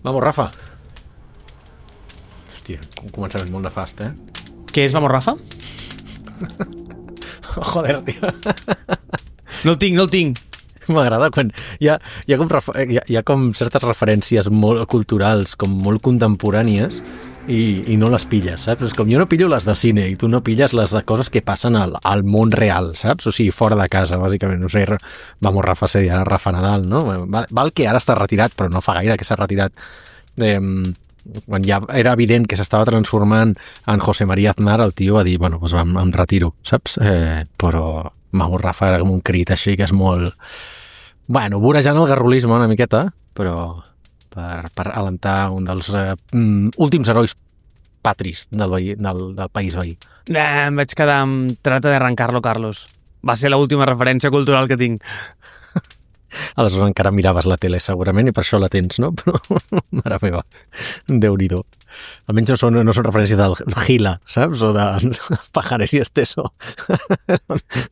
Vamos, Rafa. Hòstia, un començament molt nefast, Què és Vamos, Rafa? Joder, tio. No el tinc. M'agrada quan hi ha com certes referències molt culturals, com molt contemporànies, i no les pilles, saps? És com jo no pillo les de cine i tu no pilles les de coses que passen al món real, saps? O sigui, fora de casa, bàsicament. No sé, Vamos, Rafa, seria Rafa Nadal, no? Val que ara està retirat, però no fa gaire que s'ha retirat. Quan ja era evident que s'estava transformant en José María Aznar, el tio va dir, bueno, doncs em retiro, saps? Però Vamos, Rafa era com un crit així que és molt... Bueno, vorejant el garrulisme una miqueta, però per alentar un dels últims herois patris del país veí. Em vaig quedar amb Trata de arrancarlo, Carlos. Va ser l'última referència cultural que tinc. Aleshores encara miraves la tele segurament i per això la tens, no? Però, mare meva, Déu-n'hi-do. Almenys no són referències del Gila, saps? O de Pajares i Esteso.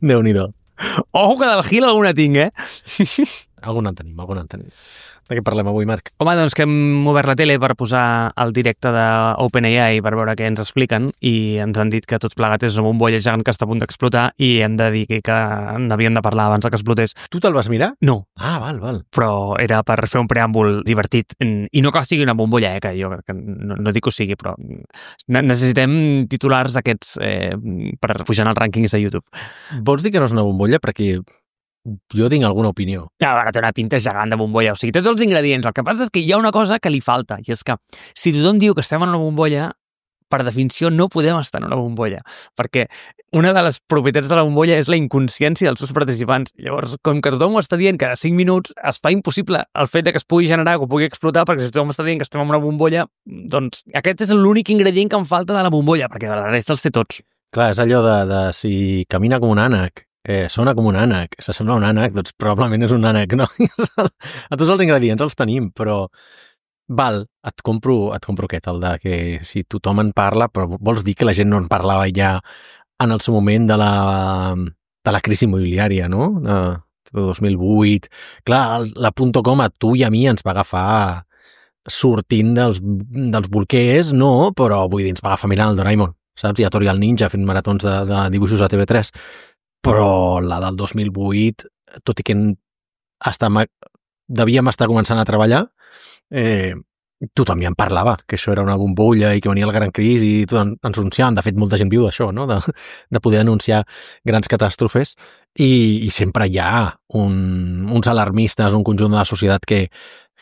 Déu-n'hi-do. Ojo que del Gil alguna tinc, Alguna en tenim. De què parlem avui, Marc? Home, doncs que hem obert la tele per posar el directe d'OpenAI per veure què ens expliquen i ens han dit que tot plegat és una bombolla gegant que està a punt d'explotar i hem de dir que n'havíem de parlar abans que explotés. Tu te'l vas mirar? No. Ah, val. Però era per fer un preàmbul divertit i no que sigui una bombolla, que jo crec que no dic que ho sigui, però necessitem titulars aquests per pujar en els rànquings de YouTube. Vols dir que no és una bombolla? Perquè jo tinc alguna opinió. Ara té una pinta gegant de bombolla, o sigui, tots els ingredients. El que passa és que hi ha una cosa que li falta, i és que si tothom diu que estem en una bombolla, per definició no podem estar en una bombolla, perquè una de les propietats de la bombolla és la inconsciència dels seus participants. Llavors, com que tothom ho està dient cada 5 minuts, es fa impossible el fet de que es pugui generar, que pugui explotar, perquè si tothom està dient que estem en una bombolla, doncs aquest és l'únic ingredient que em falta de la bombolla, perquè de la resta els té tots. Clar, és allò de si camina com un ànec, sona com un ànec, s'assembla a un ànec, doncs probablement és un ànec, no? A tots els ingredients els tenim, però val, et compro aquest, el de que si tothom en parla, però vols dir que la gent no en parlava ja en el seu moment de la crisi immobiliària, no? De 2008. Clar, la .com a tu i a mi ens va agafar sortint dels bolquers, no, però vull dir, ens va agafar mirant el Doraemon, saps? I a Tori el Ninja fent maratons de dibuixos a TV3. Però la del 2008, tot i que devíem estar començant a treballar, tothom ja en parlava, que això era una bombolla i que venia la gran crisi i tot ens anunciaven. De fet, molta gent viu d'això, no? De poder anunciar grans catàstrofes i sempre hi ha uns alarmistes, un conjunt de la societat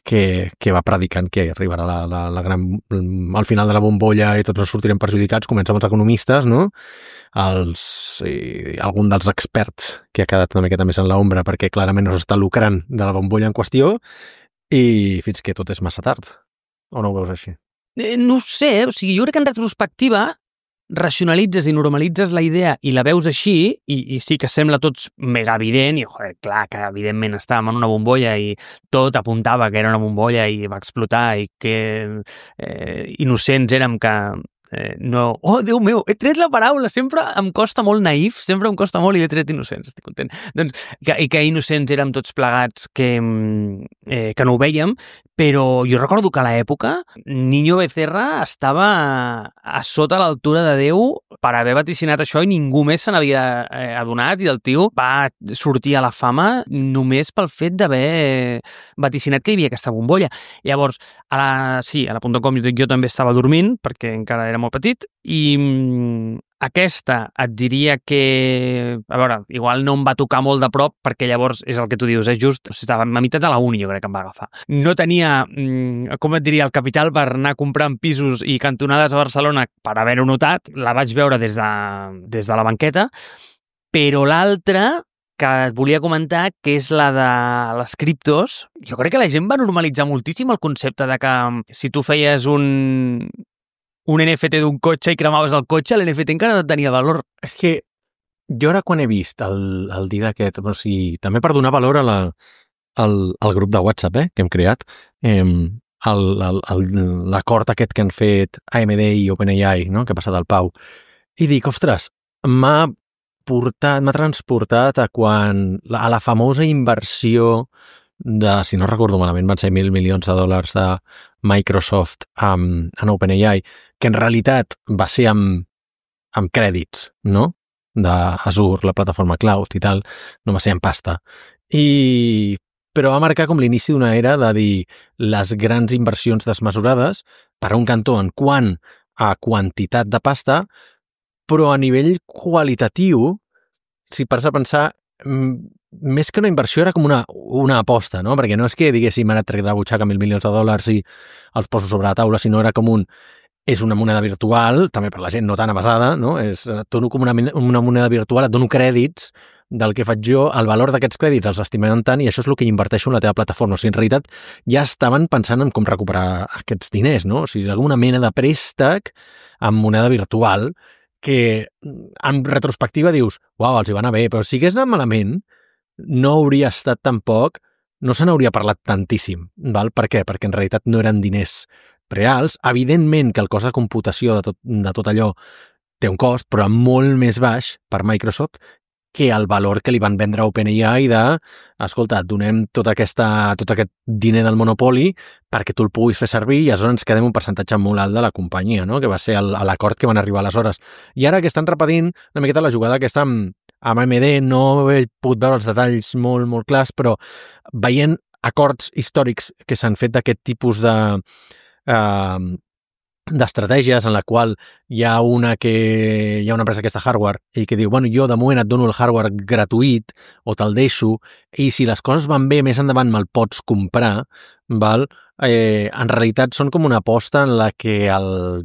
que va predicant que arribarà al final de la bombolla i tots ens sortirem perjudicats. Comença amb els economistes, no? Algun dels experts que ha quedat una miqueta més en l'ombra perquè clarament no s'està lucrant de la bombolla en qüestió i fins que tot és massa tard. O no ho veus així? No ho sé, o sigui, jo crec que en retrospectiva racionalitzes i normalitzes la idea i la veus així i sí que sembla tots mega evident i joder, clar que evidentment estàvem en una bombolla i tot apuntava que era una bombolla i va explotar i que innocents érem que no... Oh, Déu meu, he tret la paraula, sempre em costa molt naïf, sempre em costa molt i he tret innocents, estic content. Doncs, que innocents érem tots plegats que no ho vèiem, però jo recordo que a l'època Niño Becerra estava a sota l'altura de Déu per haver vaticinat això i ningú més se n'havia adonat i el tio va sortir a la fama només pel fet d'haver vaticinat que hi havia aquesta bombolla. Llavors, a la .com jo també estava dormint perquè encara era molt petit i aquesta et diria que, a veure, igual no em va tocar molt de prop perquè llavors és el que tu dius, just, estava a meitat de la uni jo crec que em va agafar. No tenia, com et diria, el capital per anar comprant pisos i cantonades a Barcelona per haver-ho notat, la vaig veure des de la banqueta, però l'altra que et volia comentar, que és la de les criptos, jo crec que la gent va normalitzar moltíssim el concepte de que si tu feies un NFT d'un cotxe i cremaves el cotxe, l'NFT encara no tenia valor. És que jo ara quan he vist el dia aquest, o sigui, també per donar valor al grup de WhatsApp que hem creat, l'acord aquest que han fet AMD i OpenAI, no? Que ha passat al Pau, i dic, ostres, m'ha transportat a la famosa inversió si no recordo malament, van ser $1.000 milions de Microsoft en OpenAI, que en realitat va ser amb crèdits, no? d'Azure, la plataforma cloud i tal, no va ser en pasta. Però va marcar com l'inici d'una era de dir les grans inversions desmesurades per a un cantó en quant a quantitat de pasta, però a nivell qualitatiu, si pares a pensar, més que una inversió era com una aposta, no? Perquè no és que diguéssim ara trec de la butxaca $1.000 milions i els poso sobre la taula, sinó era com és una moneda virtual, també per la gent no tan avasada, no? Et dono com una moneda virtual, et dono crèdits del que faig jo, el valor d'aquests crèdits els estimen tant i això és el que inverteixo en la teva plataforma. O sigui, en realitat ja estaven pensant en com recuperar aquests diners, no? O sigui, alguna mena de préstec amb moneda virtual que en retrospectiva dius, uau, els hi va anar bé, però si hagués anat malament no hauria estat tampoc, no se n'hauria parlat tantíssim, val? Per què? Perquè en realitat no eren diners reals. Evidentment que el cost de computació de tot allò té un cost, però molt més baix per Microsoft que el valor que li van vendre a OpenAI escolta, et donem tot aquest diner del monopoli perquè tu el puguis fer servir i aleshores ens quedem un percentatge molt alt de la companyia, no? Que va ser l'acord que van arribar aleshores. I ara que estan repetint una miqueta la jugada aquesta amb AMD, no he pogut veure els detalls molt, molt clars, però veient acords històrics que s'han fet d'aquest tipus d'estratègies en la qual hi ha una empresa que està hardware i que diu, bueno, jo de moment et dono el hardware gratuït o te'l deixo i si les coses van bé, més endavant me'l pots comprar, val? En realitat són com una aposta en la que el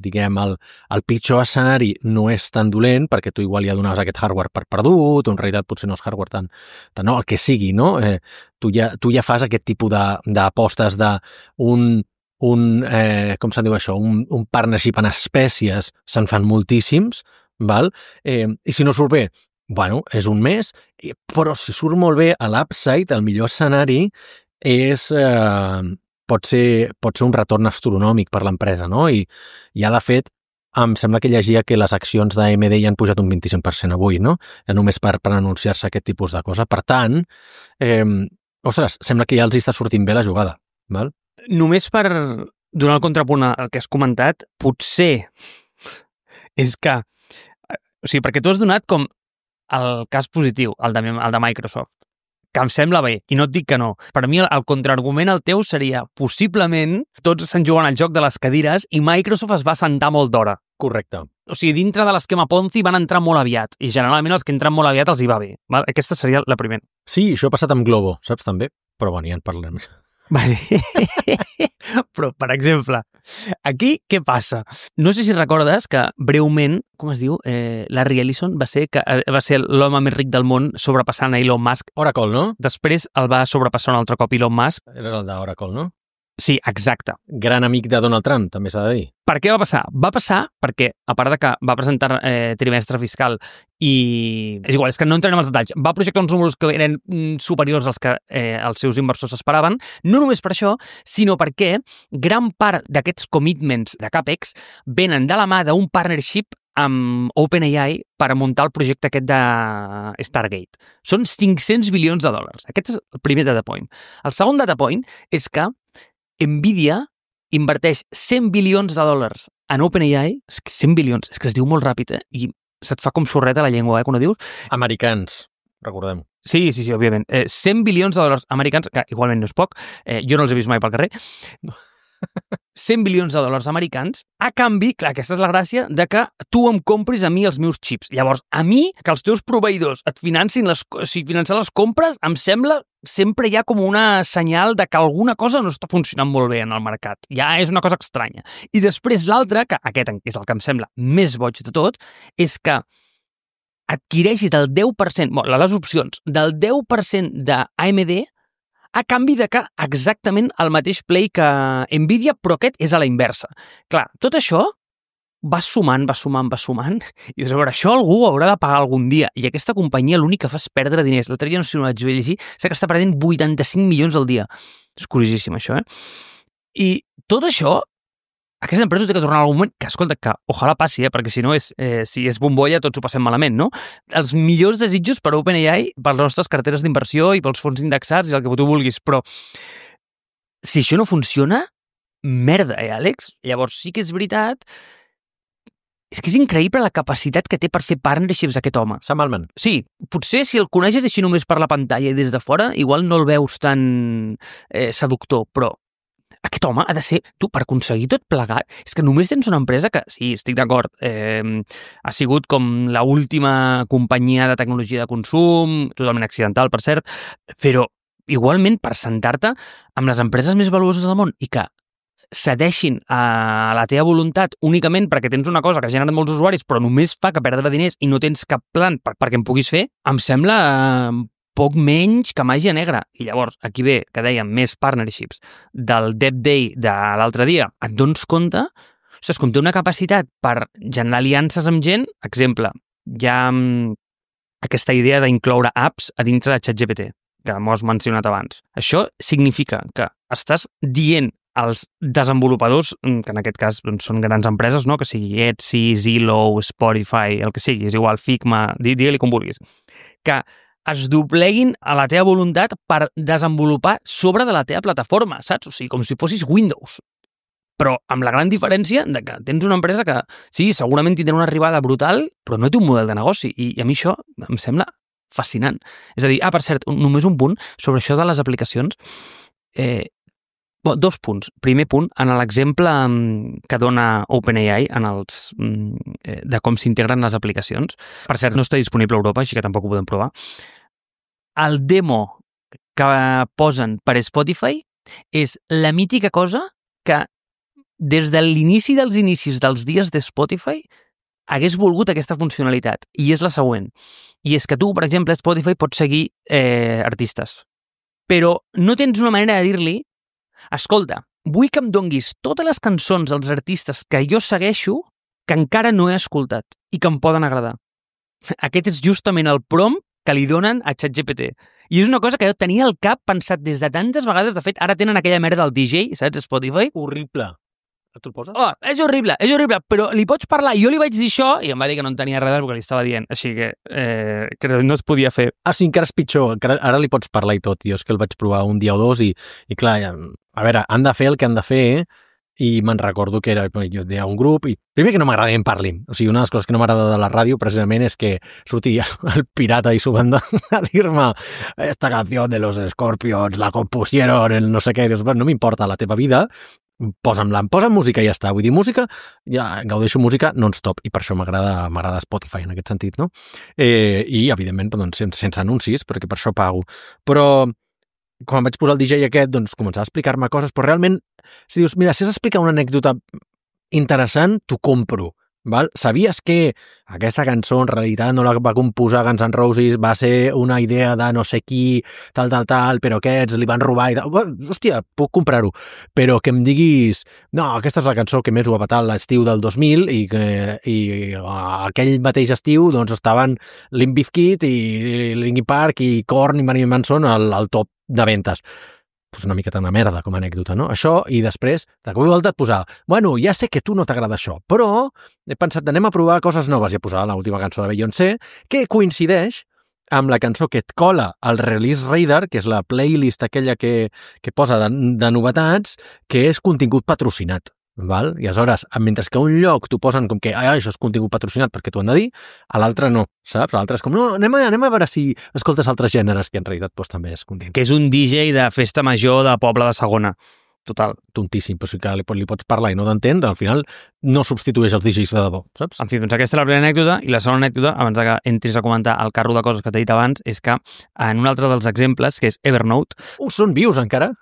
pitjor escenari no és tan dolent perquè tu igual ja donaves aquest hardware per perdut o en realitat potser no és hardware tant no, el que sigui, no? Tu ja fas aquest tipus d'apostes com se'n diu això, un partnership en espècies, se'n fan moltíssims, val? I si no surt bé, bueno, és un mes, però si surt molt bé a l'upside, el millor escenari pot ser un retorn astronòmic per l'empresa, no? I ja de fet, em sembla que llegia que les accions d'AMD ja han pujat un 25% avui, no? Ja només per anunciar-se aquest tipus de cosa. Per tant, ostres, sembla que ja els està sortint bé la jugada, val? Només per donar el contrapunt al que has comentat, potser és que... O sigui, perquè tu has donat com el cas positiu, el de Microsoft, que em sembla bé, i no et dic que no. Per mi el contraargument al teu seria possiblement tots estan jugant al joc de les cadires i Microsoft es va assentar molt d'hora. Correcte. O sigui, dintre de l'esquema Ponzi van entrar molt aviat i generalment els que entren molt aviat els hi va bé. Val? Aquesta seria la primera. Sí, això ha passat amb Globo, saps també? Però bueno, ja en parlem. Vale. Però, per exemple, aquí què passa? No sé si recordes que breument, com es diu, Larry Ellison va ser l'home més ric del món sobrepassant a Elon Musk. Oracle, no? Després el va sobrepassar un altre cop Elon Musk. Era el d'Oracle, no? Sí, exacte. Gran amic de Donald Trump, també s'ha de dir. Per què va passar? Va passar perquè, a part de que va presentar trimestre fiscal i... És igual, és que no entrarem als detalls. Va projectar uns números que eren superiors als que els seus inversors esperaven, no només per això, sinó perquè gran part d'aquests commitments de CAPEX venen de la mà d'un partnership amb OpenAI per muntar el projecte aquest de Stargate. Són $500 bilions. Aquest és el primer data point. El segon data point és que Nvidia inverteix $100 bilions en OpenAI, 100 bilions, és que es diu molt ràpid, i se't fa com xorreta la llengua, quan ho dius. Americans, recordem. Sí, òbviament. 100 bilions de dòlars americans, que igualment no és poc, jo no els he vist mai pel carrer, 100 bilions de dòlars americans, a canvi, clar, aquesta és la gràcia, de que tu em compris a mi els meus xips. Llavors, a mi, que els teus proveïdors et financin finançar les compres, em sembla, sempre hi ha com una senyal de que alguna cosa no està funcionant molt bé en el mercat. Ja és una cosa estranya. I després l'altre, que aquest és el que em sembla més boig de tot, és que adquireixis el 10%, les opcions, del 10% d'AMD a canvi de que exactament el mateix play que Nvidia, però aquest és a la inversa. Clar, tot això va sumant, i dius, a veure, això algú haurà de pagar algun dia, i aquesta companyia l'únic que fa és perdre diners. L'altre dia no sé si no vaig llegir, sé que està perdent 85 milions al dia. És curiosíssim, això, I tot això aquesta empresa té que tornar en algun moment, que escolta, que ojalà passi, perquè si no si és bombolla tots ho passem malament, no? Els millors desitjos per OpenAI, per les nostres carteres d'inversió i pels fons indexats i el que tu vulguis, però si això no funciona, merda, Àlex? Llavors sí que és veritat. És que és increïble la capacitat que té per fer partnerships aquest home. Sam Altman. Sí, potser si el coneixes així només per la pantalla i des de fora, igual no el veus tan seductor, però aquest home ha de ser, tu, per aconseguir tot plegat, és que només tens una empresa que, sí, estic d'acord, ha sigut com la última companyia de tecnologia de consum, totalment accidental, per cert, però igualment per sentar-te amb les empreses més valuoses del món i que cedeixin a la teva voluntat únicament perquè tens una cosa que ha generat molts usuaris però només fa que perdre diners i no tens cap plan perquè em puguis fer, em sembla poc menys que màgia negra. I llavors, aquí ve, que dèiem, més partnerships del Dev Day de l'altre dia, et dones compte, ostres, com té una capacitat per generar aliances amb gent, exemple, hi ha aquesta idea d'incloure apps a dintre de ChatGPT, que m'ho has mencionat abans. Això significa que estàs dient als desenvolupadors, que en aquest cas doncs, són grans empreses, no? Que sigui Etsy, Zillow, Spotify, el que sigui, és igual, Figma, digue-li com vulguis, que es dobleguin a la teva voluntat per desenvolupar sobre de la teva plataforma, saps? O sigui, com si fossis Windows. Però amb la gran diferència de que tens una empresa que, sí, segurament tindrà una arribada brutal, però no té un model de negoci. I a mi això em sembla fascinant. És a dir, per cert, només un punt sobre això de les aplicacions. Dos punts. Primer punt, en l'exemple que dona OpenAI de com s'integren les aplicacions. Per cert, no està disponible a Europa, així que tampoc ho podem provar. El demo que posen per Spotify és la mítica cosa que des de l'inici dels inicis dels dies de Spotify hagués volgut aquesta funcionalitat. I és la següent. I és que tu, per exemple, a Spotify pots seguir artistes. Però no tens una manera de dir-li escolta, vull que em donguis totes les cançons dels artistes que jo segueixo que encara no he escoltat i que em poden agradar. Aquest és justament el prompt que li donen a ChatGPT. I és una cosa que jo tenia al cap pensat des de tantes vegades. De fet, ara tenen aquella merda del DJ, saps, Spotify? Horrible. Tu el poses? És horrible, però li pots parlar. Jo li vaig dir això i em va dir que no en tenia res perquè li estava dient. Així que no es podia fer. Sí, encara és pitjor. Ara li pots parlar i tot. Jo és que el vaig provar un dia o dos i clar, a veure, han de fer el que han de fer i me'n recordo que jo deia un grup i primer que no m'agrada que em parlin. O sigui, una de les coses que no m'agrada de la ràdio precisament és que surti el pirata i su banda a dir-me esta canción de los Scorpions la compusieron el no sé què. Dius, no m'importa la teva vida, posa música i ja està. Vull dir, música, ja gaudeixo música non-stop i per això m'agrada Spotify en aquest sentit, no? I, evidentment, doncs, sense anuncis, perquè per això pago. Però quan vaig posar el DJ aquest, doncs començava a explicar-me coses, però realment, si dius, mira, si has d'explicar una anècdota interessant, t'ho compro. Val? Sabies que aquesta cançó en realitat no la va composar Guns N' Roses, va ser una idea de no sé qui, tal, però aquests li van robar i tal. Hòstia, puc comprar-ho. Però que em diguis, no, aquesta és la cançó que més ho ha patat l'estiu del 2000 i aquell mateix estiu doncs estaven Limp Bizkit i Linkin Park i Korn i Marilyn Manson al top de ventes. Pues una miqueta una merda com a anècdota, no? Això, i després, de cop i volta et posar, bueno, ja sé que tu no t'agrada això, però he pensat, anem a provar coses noves, i he posat l'última cançó de Beyoncé, que coincideix amb la cançó que et cola al Release Radar, que és la playlist aquella que posa de novetats, que és contingut patrocinat. Val? I aleshores, mentre que a un lloc t'ho posen com que això és contingut patrocinat perquè t'ho han de dir, a l'altre no, saps? A l'altre és com, no, anem a veure si escoltes altres gèneres, que en realitat doncs, també és contingut. Que és un DJ de festa major de poble de segona. Total. Tontíssim, però sí que li pots parlar i no t'entén, al final no substitueix els DJs de debò, saps? En fi, doncs aquesta és la primera anècdota, i la segona anècdota, abans que entris a comentar el carro de coses que t'he dit abans, és que en un altre dels exemples, que és Evernote... Són vius encara?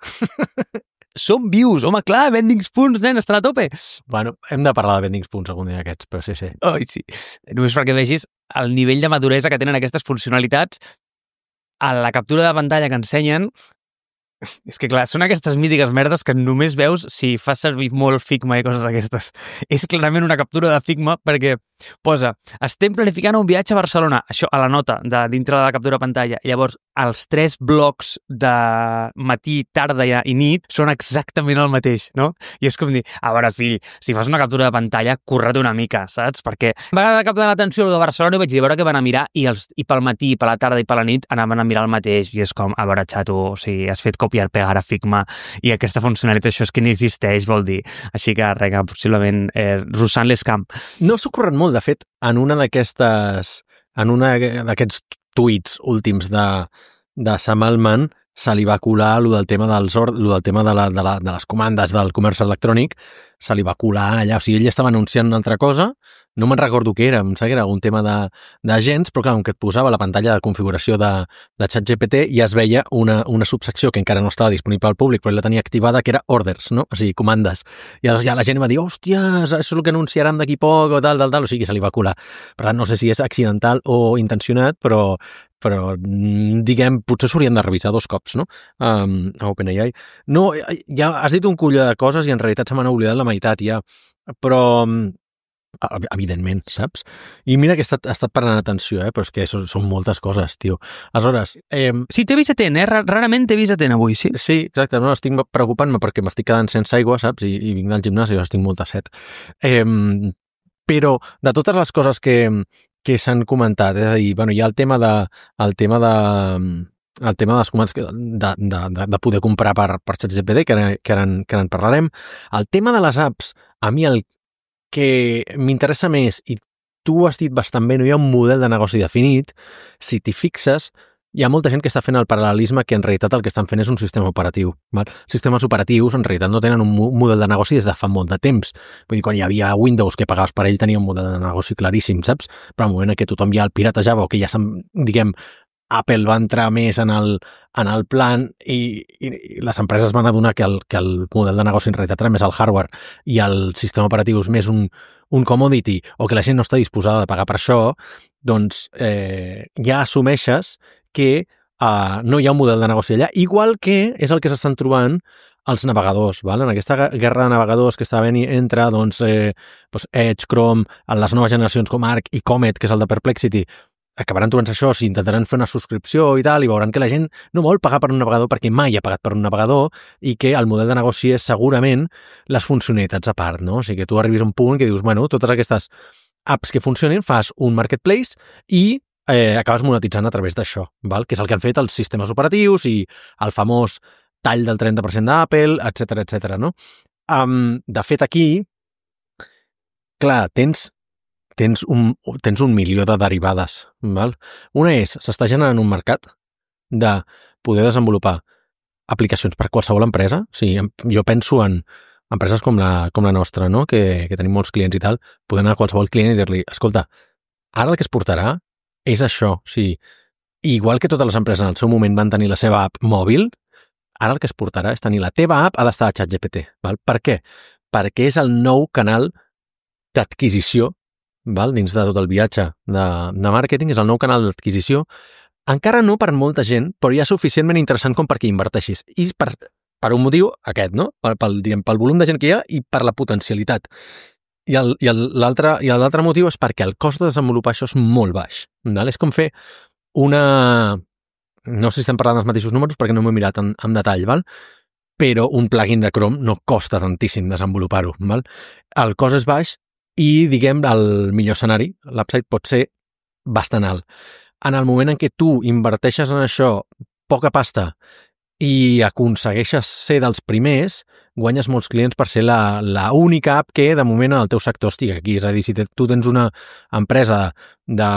Som vius, home, clar, Vending Spoons, nen, estan a tope. Bueno, hem de parlar de Vending Spoons algun dia aquests, però sí. Ai, sí. Només perquè vegis el nivell de maduresa que tenen aquestes funcionalitats. A la captura de pantalla que ensenyen, És que clar, són aquestes mítiques merdes que només veus si fas servir molt Figma i coses d'aquestes. És clarament una captura de Figma perquè posa, estem planificant un viatge a Barcelona, això a la nota de dintre de la captura de pantalla. Llavors, els 3 blocs de matí, tarda i nit són exactament el mateix, no? I és com dir, a veure, fill, si fas una captura de pantalla, corre-te una mica, saps? Perquè a vegades captar l'atenció de Barcelona i vaig dir, a veure què van a mirar i pel matí, per la tarda i per la nit anaven a mirar el mateix i és com, a veure, xato, o sigui, has fet copiar-pegar a Figma i aquesta funcionalitat, això és que ni existeix, vol dir. Així que, rega, possiblement russant l'escamp. No s'ha ocorregut molt, de fet, en un d'aquests tuits últims de Sam Altman se li va colar lo del tema de les comandes del comerç electrònic, se li va colar allà, o sigui, ell estava anunciant una altra cosa, no me'n recordo què era, em sembla que era algun tema d'agents, però clar, que et posava la pantalla de configuració de ChatGPT i es veia una subsecció que encara no estava disponible al públic, però ell la tenia activada, que era orders, no? O sigui, comandes. I aleshores ja la gent va dir, hòstia, això és el que anunciaran d'aquí poc, o tal, o sigui, se li va colar. Per tant, no sé si és accidental o intencionat, però diguem, potser s'haurien de revisar 2 cops, no? A OpenAI. No, ja has dit un colló de coses i en realitat se m'han oblidat la meitat ja, però evidentment, saps? I mira que he estat parant atenció, però és que són moltes coses, tio. Aleshores... Sí, t'he vist atent, rarament t'he vist atent avui, sí? Sí, exacte, no, estic preocupant-me perquè m'estic quedant sense aigua, saps? I vinc del gimnàs i estic molta set. Però de totes les coses que s'han comentat, és a dir, bueno, hi ha el tema de les comandes de poder comprar per ChatGPT, que ara en parlarem. El tema de les apps, a mi el que m'interessa més, i tu ho has dit bastant bé, no hi ha un model de negoci definit. Si t'hi fixes, hi ha molta gent que està fent el paral·lelisme que en realitat el que estan fent és un sistema operatiu. Val? Sistemes operatius en realitat no tenen un model de negoci des de fa molt de temps. Vull dir, quan hi havia Windows que pagaves per ell tenia un model de negoci claríssim, saps? Però al moment que tothom ja el piratejava o que ja diguem, Apple va entrar més en el plan i les empreses van adonar que el model de negoci en realitat era més el hardware i el sistema operatiu és més un commodity o que la gent no està disposada a pagar per això, doncs ja assumeixes que no hi ha un model de negoci allà, igual que és el que s'estan trobant els navegadors, val? En aquesta guerra de navegadors que està venint entre Edge, Chrome, en les noves generacions com Arc i Comet, que és el de Perplexity, acabaran trobant-se això, si intentaran fer una subscripció i tal, i veuran que la gent no vol pagar per un navegador perquè mai ha pagat per un navegador i que el model de negoci és segurament les funcionalitats a part, no? O sigui que tu arribis a un punt que dius, bueno, totes aquestes apps que funcionin, fas un marketplace i acabes monetitzant a través d'això, val? Que és el que han fet els sistemes operatius i el famós tall del 30% d'Apple, etc, no? De fet, aquí, clar, tens un milió de derivades, val? Una és, s'està generant un mercat de poder desenvolupar aplicacions per qualsevol empresa. O sigui, jo penso en empreses com la nostra, no? Que tenim molts clients i tal, poder anar a qualsevol client i dir-li, escolta, ara el que es portarà és això. O sigui, igual que totes les empreses en el seu moment van tenir la seva app mòbil, ara el que es portarà és tenir la teva app ha d'estar a ChatGPT. Val? Per què? Perquè és el nou canal d'adquisició, val? Dins de tot el viatge de màrqueting, és el nou canal d'adquisició. Encara no per molta gent, però ja suficientment interessant com perquè inverteixis. I per un motiu aquest, no? Pel volum de gent que hi ha i per la potencialitat. I l'altre motiu és perquè el cost de desenvolupar això és molt baix. Val? És com fer una... No sé si estem parlant dels mateixos números perquè no m'ho he mirat en detall, val? Però un plugin de Chrome no costa tantíssim desenvolupar-ho. Val? El cost és baix i, diguem, el millor escenari, l'upside pot ser bastant alt. En el moment en què tu inverteixes en això poca pasta i aconsegueixes ser dels primers, guanyes molts clients per ser la única app que de moment en el teu sector estigui aquí. És a dir, si tu tens una empresa de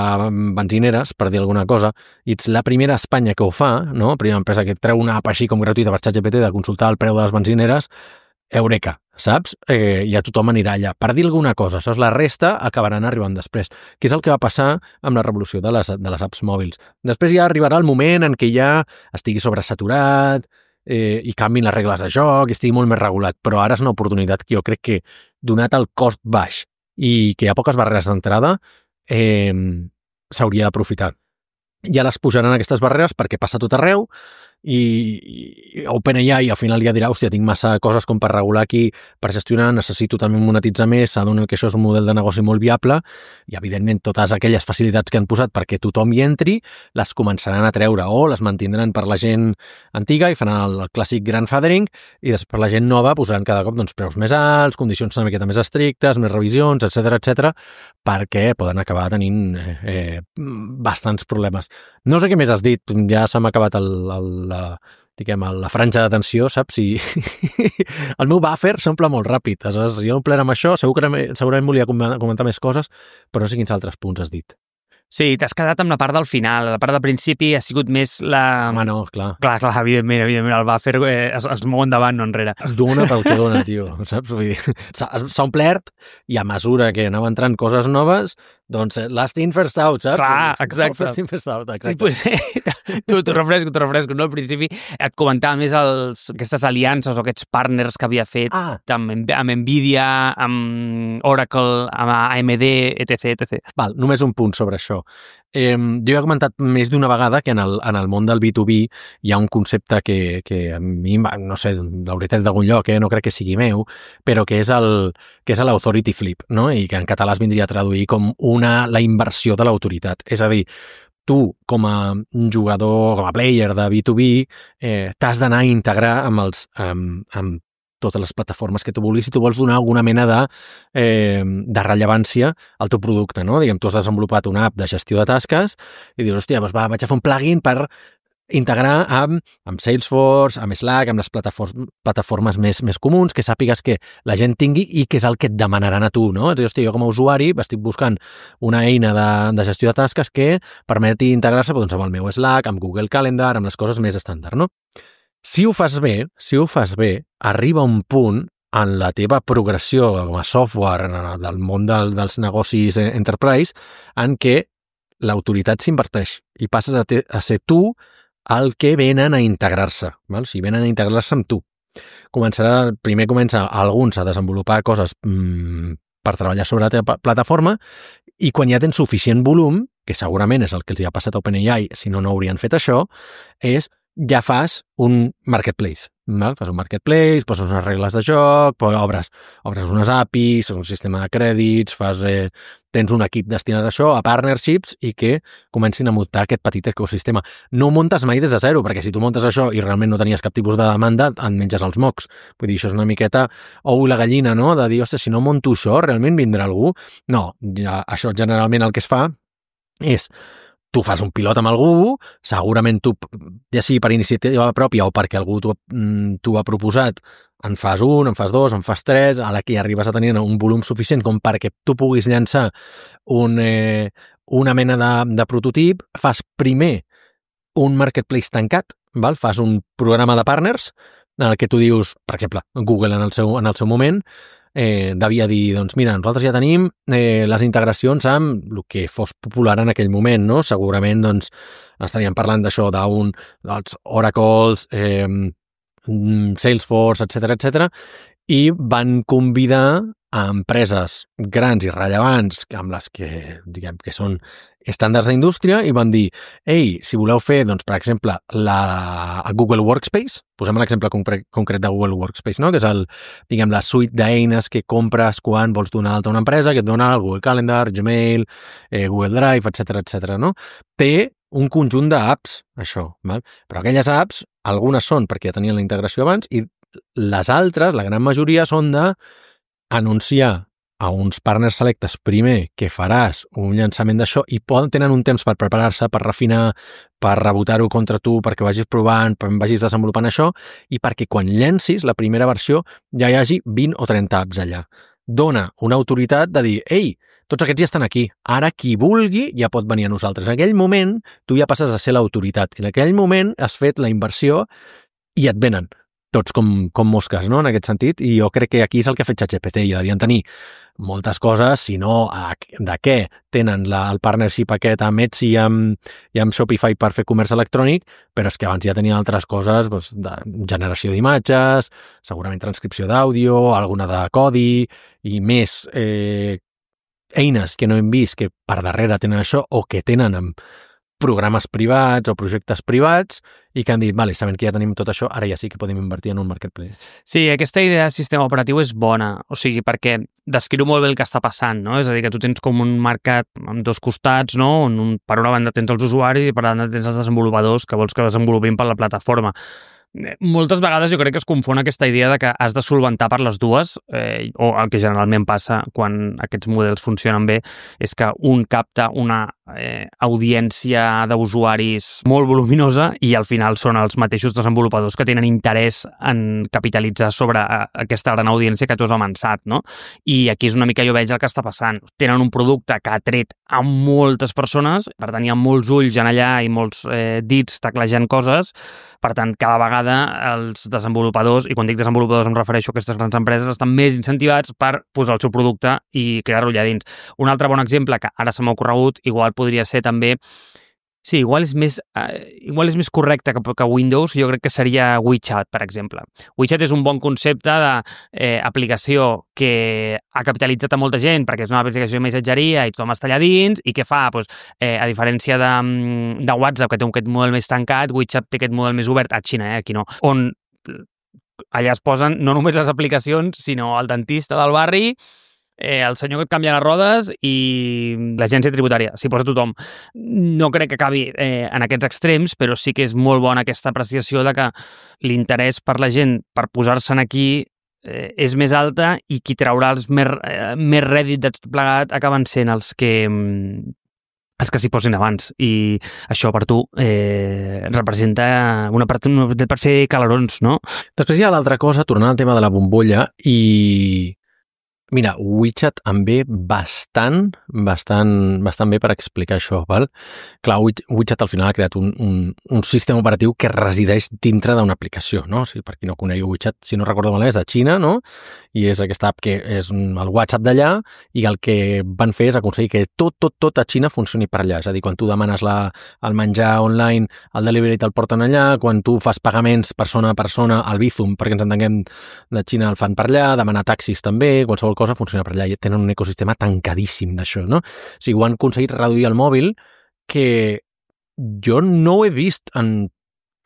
benzineres, per dir alguna cosa, i ets la primera a Espanya que ho fa, no? La primera empresa que treu una app així com gratuïta per ChatGPT de consultar el preu de les benzineres, eureka, saps? Ja tothom anirà allà. Per dir alguna cosa, això és la resta, acabaran arribant després. Que és el que va passar amb la revolució de les apps mòbils. Després ja arribarà el moment en què ja estigui sobresaturat i canviïn les regles de joc i estigui molt més regulat. Però ara és una oportunitat que jo crec que, donat el cost baix i que hi ha poques barreres d'entrada, s'hauria d'aprofitar. Ja les pujaran aquestes barreres perquè passa tot arreu i OpenAI al final ja dirà, hòstia, tinc massa coses com per regular aquí, per gestionar, necessito també monetitzar més, s'adonen que això és un model de negoci molt viable i, evidentment, totes aquelles facilitats que han posat perquè tothom hi entri, les començaran a treure o les mantindran per la gent antiga i faran el clàssic grandfathering i després per la gent nova posaran cada cop doncs, preus més alts, condicions una miqueta més estrictes, més revisions, etc, perquè poden acabar tenint bastants problemes. No sé què més has dit, ja s'ha acabat la franja d'atenció, saps? I el meu buffer s'omple molt ràpid. Aleshores, jo omplert amb això, segurament volia comentar més coses, però no sé quins altres punts has dit. Sí, t'has quedat amb la part del final. La part del principi ha sigut més la... Home, no, clar. Clar, evidentment, el buffer es mou endavant, no enrere. Dona pel que dona, tio, saps? Vull dir, s'ha omplert i a mesura que anava entrant coses noves, doncs last in, first out, saps? Clar, exacte. First in, first out, exacte. Pues, t'ho refresco, no? Al principi et comentava més aquestes aliances o aquests partners que havia fet amb Nvidia, amb Oracle, amb AMD, etc. Val, només un punt sobre això. Jo he comentat més d'una vegada que en el món del B2B hi ha un concepte que a mi, no sé, l'hauré tret d'algun lloc, no crec que sigui meu, però que és l'authority flip, no? I que en català es vindria a traduir com la inversió de l'autoritat. És a dir, tu, com a jugador, com a player de B2B, t'has d'anar a integrar amb totes les plataformes que tu vulguis si tu vols donar alguna mena de rellevància al teu producte, no? Diguem, tu has desenvolupat una app de gestió de tasques i dius, hòstia, doncs vaig a fer un plugin per integrar amb Salesforce, amb Slack, amb les plataformes més comuns, que sàpigues que la gent tingui i que és el que et demanaran a tu, no? És a dir, hòstia, jo com a usuari estic buscant una eina de gestió de tasques que permeti integrar-se doncs, amb el meu Slack, amb Google Calendar, amb les coses més estàndard, no? Si ho fas bé, arriba un punt en la teva progressió com a software del món dels negocis enterprise en què l'autoritat s'inverteix i passes a ser tu el que venen a integrar-se, val? O sigui, venen a integrar-se amb tu. Primer comença alguns a desenvolupar coses per treballar sobre la teva plataforma i quan ja tens suficient volum, que segurament és el que els hi ha passat a OpenAI, si no haurien fet això, ja fas un marketplace, val? Fas un marketplace, poses unes regles de joc, obres unes APIs, un sistema de crèdits, tens un equip destinat a això, a partnerships, i que comencin a muntar aquest petit ecosistema. No ho muntes mai des de zero, perquè si tu muntes això i realment no tenies cap tipus de demanda, et menges els mocs. Vull dir, això és una miqueta ou i la gallina, no? De dir, ostres, si no monto això, realment vindrà algú? No, això generalment el que es fa és tu fas un pilot amb algú, segurament tu, ja sigui per iniciativa pròpia o perquè algú t'ho ha proposat, en fas un, en fas dos, en fas tres, a la que arribes a tenir un volum suficient com perquè tu puguis llançar una mena de prototip, fas primer un marketplace tancat, val? Fas un programa de partners en el que tu dius, per exemple, Google en el seu moment, devia dir, doncs mira, nosaltres ja tenim les integracions amb el que fos popular en aquell moment, no? Segurament doncs estaríem parlant d'això dels Oracles, Salesforce, etc, i van convidar a empreses grans i rellevants amb les que, diguem, que són estàndards d'indústria i van dir, ei, si voleu fer, doncs, per exemple, la Google Workspace, posem l'exemple concret de Google Workspace, no? Que és la suite d'eines que compres quan vols donar d'alta a una empresa, que et dona el Google Calendar, Gmail, Google Drive, etc, no? Té un conjunt d'apps, això, val? Però aquelles apps, algunes són perquè ja tenien la integració abans i les altres, la gran majoria, són d'anunciar a uns partners selectes primer que faràs un llançament d'això i tenen un temps per preparar-se, per refinar, per rebotar-ho contra tu, perquè vagis provant, vagis desenvolupant això i perquè quan llencis la primera versió ja hi hagi 20 o 30 apps allà. Dona una autoritat de dir, ei, tots aquests ja estan aquí, ara qui vulgui ja pot venir a nosaltres. En aquell moment tu ja passes a ser l'autoritat i en aquell moment has fet la inversió i et venen tots com mosques, no?, en aquest sentit, i jo crec que aquí és el que ha fet ChatGPT, i devien tenir moltes coses, si no de què tenen el partnership aquest amb Etsy i amb Shopify per fer comerç electrònic, però és que abans ja tenia altres coses, doncs, de generació d'imatges, segurament transcripció d'àudio, alguna de codi, i més eines que no hem vist que per darrere tenen això, o que tenen amb programes privats o projectes privats i que han dit, vale, sabent que ja tenim tot això, ara ja sí que podem invertir en un marketplace. Sí, aquesta idea de sistema operatiu és bona, o sigui, perquè descriu molt bé el que està passant, no? És a dir, que tu tens com un mercat amb dos costats, no? On per una banda tens els usuaris i per l'altra tens els desenvolupadors que vols que desenvolupin per la plataforma. Moltes vegades jo crec que es confon aquesta idea de que has de solventar per les dues, o el que generalment passa quan aquests models funcionen bé és que un capta una audiència d'usuaris molt voluminosa i al final són els mateixos desenvolupadors que tenen interès en capitalitzar sobre aquesta gran audiència que tu has avançat, no? I aquí és una mica jo veig el que està passant. Tenen un producte que ha tret a moltes persones, per tant hi ha molts ulls en allà i molts dits teclejant coses. Per tant, cada vegada els desenvolupadors, i quan dic desenvolupadors em refereixo a aquestes grans empreses, estan més incentivats per posar el seu producte i crear-lo allà dins. Un altre bon exemple que ara se m'ha ocorregut, igual podria ser també... Sí, igual és més correcte que Windows, jo crec que seria WeChat, per exemple. WeChat és un bon concepte d'aplicació que ha capitalitzat a molta gent perquè és una aplicació de missatgeria i tothom està allà dins i què fa? Pues, a diferència de WhatsApp, que té aquest model més tancat, WeChat té aquest model més obert, a Xina, aquí no, on allà es posen no només les aplicacions, sinó el dentista del barri, el senyor que et canvia les rodes i l'agència tributària, s'hi posa tothom. No crec que acabi en aquests extrems, però sí que és molt bona aquesta apreciació de que l'interès per la gent per posar-se'n aquí és més alta i qui traurà els més rèdit de tot plegat acaben sent els que s'hi posin abans, i això per tu representa una oportunitat per fer calarons, no? Després hi ha l'altra cosa, tornant al tema de la bombolla, i mira, WeChat em ve bastant bé per explicar això, val? Clar, WeChat al final ha creat un sistema operatiu que resideix dintre d'una aplicació, no? O sigui, per qui no conegui WeChat, si no recordo malament, és de Xina, no? I és aquesta app que és el WhatsApp d'allà, i el que van fer és aconseguir que tot a Xina funcioni per allà. És a dir, quan tu demanes el menjar online, el delivery te'l porten allà, quan tu fas pagaments persona a persona, el Bizum, perquè ens entenguem, de Xina el fan per allà, demanar taxis també, qualsevol cosa funciona per allà, i tenen un ecosistema tancadíssim d'això, no? O sigui, ho han aconseguit reduir el mòbil, que jo no ho he vist en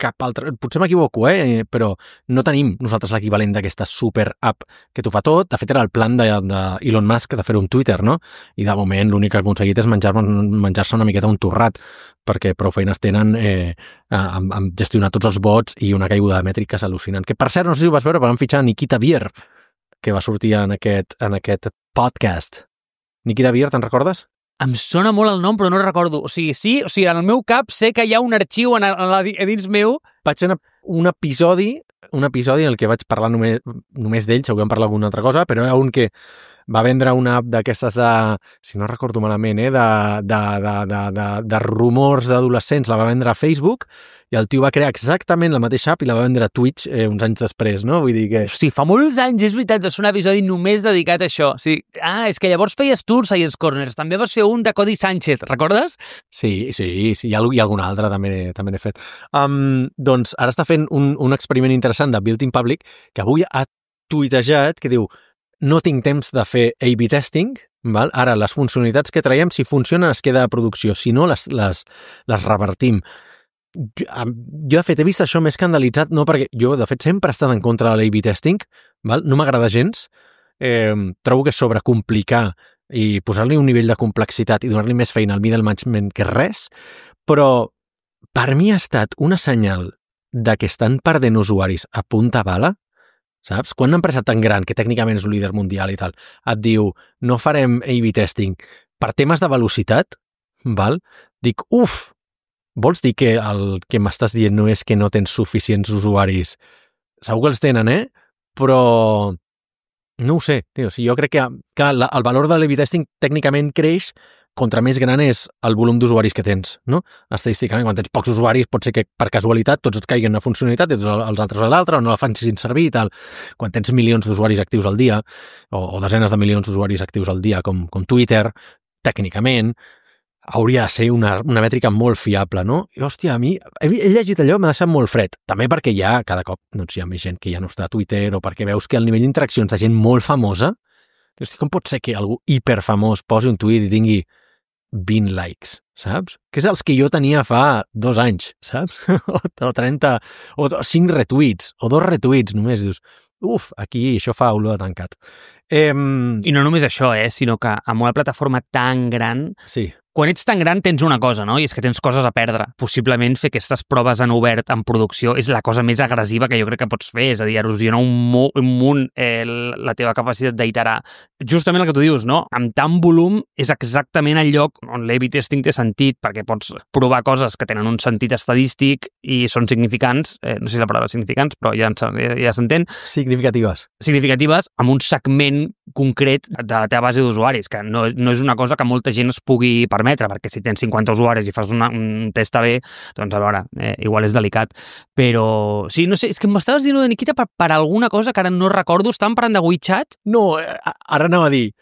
cap altre... Potser m'equivoco, però no tenim nosaltres l'equivalent d'aquesta super app que t'ho fa tot. De fet, era el plan d'Elon Musk de fer un Twitter, no? I de moment l'únic que ha aconseguit és menjar-se una miqueta un torrat, perquè prou feines tenen amb gestionar tots els bots i una caiguda de mètriques al·lucinant. Que, per cert, no sé si ho vas veure, però van fitxar Nikita Bier, que va sortir en aquest podcast. Nikita Bier, te'n recordes? Em sona molt el nom, però no recordo. O sigui, en el meu cap sé que hi ha un arxiu a dins meu. Vaig fer un episodi en el que vaig parlar només d'ell, segur que vam parlar alguna altra cosa, però era un que va vendre una app d'aquestes si no recordo malament, de rumors d'adolescents, la va vendre a Facebook, i el tio va crear exactament la mateixa app i la va vendre a Twitch uns anys després, no? Vull dir que... Hosti, fa molts anys, és veritat, va ser un episodi només dedicat a això. Sí. És que llavors feies tu el Science Corners, també vas fer un de Cody Sánchez, recordes? Sí, hi ha algun altre, també n'he fet. Doncs ara està fent un experiment interessant de Built in Public, que avui ha tuitejat, que diu: no tinc temps de fer A/B testing, val? Ara les funcionalitats que traiem, si funcionen es queda a producció, si no les revertim. Jo de fet he vist això més escandalitzat, no, perquè jo de fet sempre he estat en contra de l'A/B testing, val? No m'agrada gens, trobo que és sobrecomplicar i posar-li un nivell de complexitat i donar-li més feina al middle management que res, però per mi ha estat una senyal de que estan perdent usuaris a punta bala. Saps? Quan una empresa tan gran, que tècnicament és un líder mundial i tal, et diu no farem A/B testing per temes de velocitat, val? Dic, vols dir que el que m'estàs dient no és que no tens suficients usuaris? Segur que els tenen, però no ho sé, tio. Jo crec que el valor de l'A/B testing tècnicament creix contra més gran és el volum d'usuaris que tens, no? Estadísticament, quan tens pocs usuaris, pot ser que per casualitat tots et caiguen una funcionalitat i tots els altres a l'altra, o no la fan sin servir i tal. Quan tens milions d'usuaris actius al dia, o desenes de milions d'usuaris actius al dia, com Twitter, tècnicament, hauria de ser una mètrica molt fiable, no? I, hòstia, a mi, he llegit allò, m'ha deixat molt fred. També perquè cada cop hi ha més gent que ja no està a Twitter, o perquè veus que el nivell d'interaccions de gent molt famosa, com pot ser que algú hiperfamós posi un tuit i tingui 20 likes, saps? Que és els que jo tenia fa 2 anys, saps? O 30, o 5 retuits, o 2 retuits només. Dius, aquí això fa olor de tancat. I no només això, sinó que amb una plataforma tan gran... Sí. Quan ets tan gran tens una cosa, no? I és que tens coses a perdre. Possiblement fer aquestes proves en obert, en producció, és la cosa més agressiva que jo crec que pots fer. És a dir, erosionar un munt la teva capacitat d'iterar. Justament el que tu dius, no? Amb tant volum és exactament el lloc on l'A/B testing té sentit, perquè pots provar coses que tenen un sentit estadístic i són significants, no sé si la paraula significants, però ja s'entén. Significatives amb un segment concret de la teva base d'usuaris, que no és una cosa que molta gent es pugui permetre, perquè si tens 50 usuaris i fas un test A/B, doncs a veure, igual és delicat. Però sí, no sé, és que m'estaves dient de Nikita per alguna cosa que ara no recordo. Estàvem parlant de WeChat? No, ara anava a dir,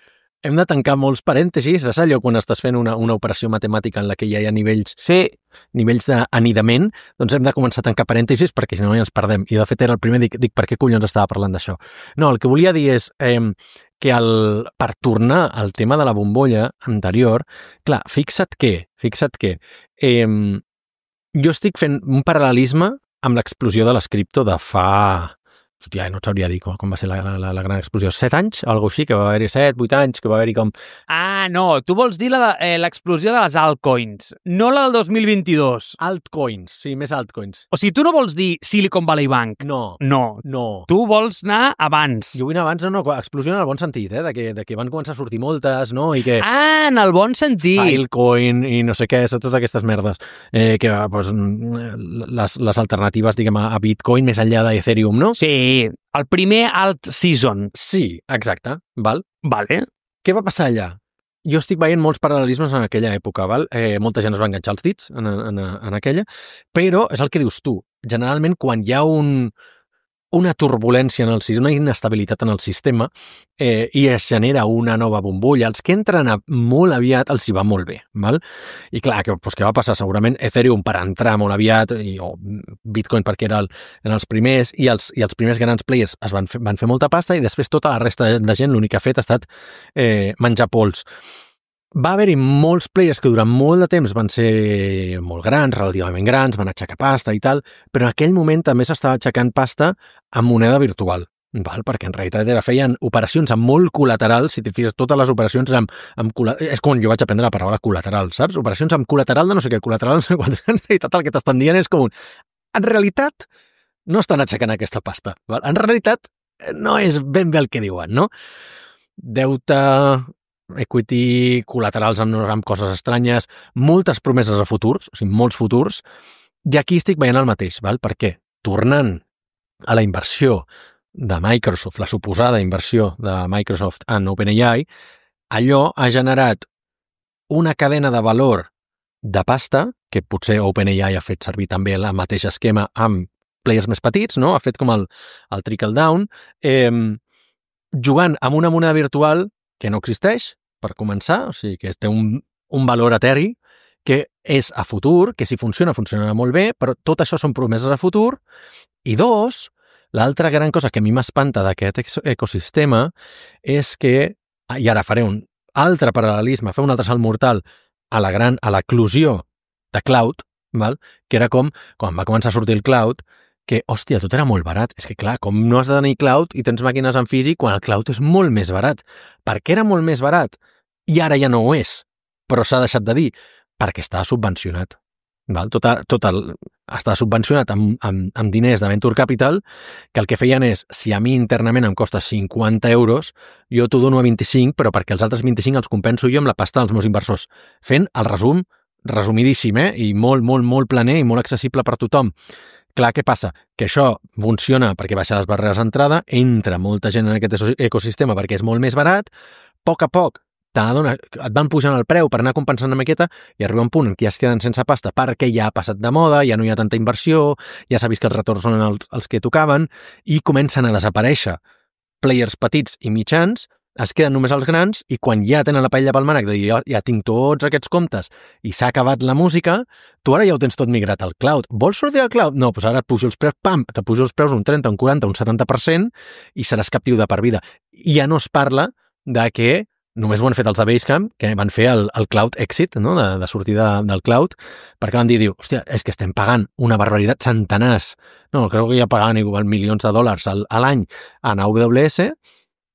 hem de tancar molts parèntesis, és allò quan estàs fent una operació matemàtica en la que ja hi ha nivells d'anidament, doncs hem de començar a tancar parèntesis perquè si no ja ens perdem. I de fet era el primer, dic per què collons estava parlant d'això? No, el que volia dir és que per tornar al tema de la bombolla anterior, clar, fixa't que jo estic fent un paral·lelisme amb l'explosió de les cripto de fa... Hòstia, no et sabria dir com va ser la gran explosió. 7 anys? Algo així, que va haver-hi 7, 8 anys, que va haver-hi com... Ah, no, tu vols dir l'explosió de les altcoins, no la del 2022. Altcoins, sí, més altcoins. O sigui, tu no vols dir Silicon Valley Bank. No. Tu vols anar abans. Jo vull anar abans, no, explosió en el bon sentit, de que van començar a sortir moltes, no? I que... Ah, en el bon sentit. Filecoin i no sé què, totes aquestes merdes. Que, pues, les alternatives, diguem, a Bitcoin més enllà d'Ethereum, no? Sí, el primer alt season. Sí, exacte, val? Vale. Què va passar allà? Jo estic veient molts paral·lelismes en aquella època, val? Molta gent es va enganxar els dits en aquella, però és el que dius tu. Generalment, quan hi ha una turbulència en el sistema, una inestabilitat en el sistema, i es genera una nova bombolla, els que entren molt aviat els hi va molt bé, val? I clar, què va passar? Segurament Ethereum per entrar molt aviat, o Bitcoin perquè eren els primers, i els primers grans players van fer molta pasta, i després tota la resta de gent l'únic que ha fet ha estat menjar pols. Va haver-hi molts players que durant molt de temps van ser molt grans, relativament grans, van aixecar pasta i tal, però en aquell moment també s'estava aixecant pasta amb moneda virtual, val? Perquè en realitat feien operacions amb molt col·lateral, si t'hi fixes, totes les operacions és com jo vaig aprendre la paraula col·lateral, saps? Operacions amb col·lateral de no sé què, col·lateral no sé quant, en realitat el que t'estan dient és com en realitat no estan aixecant aquesta pasta, val? En realitat no és ben bé el que diuen, no? Deute... equity, col·laterals amb coses estranyes, moltes promeses a futurs, o sigui, molts futurs, i aquí estic veient el mateix, val? Perquè tornant a la inversió de Microsoft, la suposada inversió de Microsoft en OpenAI, allò ha generat una cadena de valor de pasta, que potser OpenAI ha fet servir també el mateix esquema amb players més petits, no? Ha fet com el trickle down, jugant amb una moneda virtual que no existeix, per començar, o sigui, que té un valor eteri, que és a futur, que si funcionarà molt bé, però tot això són promeses a futur, i dos, l'altra gran cosa que a mi m'espanta d'aquest ecosistema és que, i ara faré un altre paral·lelisme, fer un altre salt mortal a l'eclosió de cloud, val? Que era com, quan va començar a sortir el cloud, que, hòstia, tot era molt barat. És que, clar, com no has de tenir cloud i tens màquines en físic quan el cloud és molt més barat. Per què era molt més barat? I ara ja no ho és, però s'ha deixat de dir, perquè estava subvencionat. Val? Estava subvencionat amb diners de Venture Capital, que el que feien és, si a mi internament em costa 50 euros, jo t'ho dono a 25, però perquè els altres 25 els compenso jo amb la pasta dels meus inversors. Fent el resumidíssim, i molt, molt, molt planer i molt accessible per tothom. Clar, què passa? Que això funciona perquè baixa les barreres d'entrada, entra molta gent en aquest ecosistema perquè és molt més barat, a poc et van pujant el preu per anar compensant una miqueta i arriba un punt en què ja es queden sense pasta perquè ja ha passat de moda, ja no hi ha tanta inversió, ja s'ha vist que els retorns són els que tocaven i comencen a desaparèixer players petits i mitjans, es queden només els grans i quan ja tenen la paella pel mànec de dir ja tinc tots aquests comptes i s'ha acabat la música, tu ara ja ho tens tot migrat al cloud. Vols sortir al cloud? No, doncs ara et pujo els preus, te pujo els preus un 30, un 40, un 70% i seràs captiu de per vida. I ja no es parla de que només ho han fet els de Basecamp, que van fer el cloud exit, no? de sortida del cloud, perquè van dir, hòstia, és que estem pagant una barbaritat, centenars, no, crec que ja pagaven igual milions de dòlars a l'any en AWS,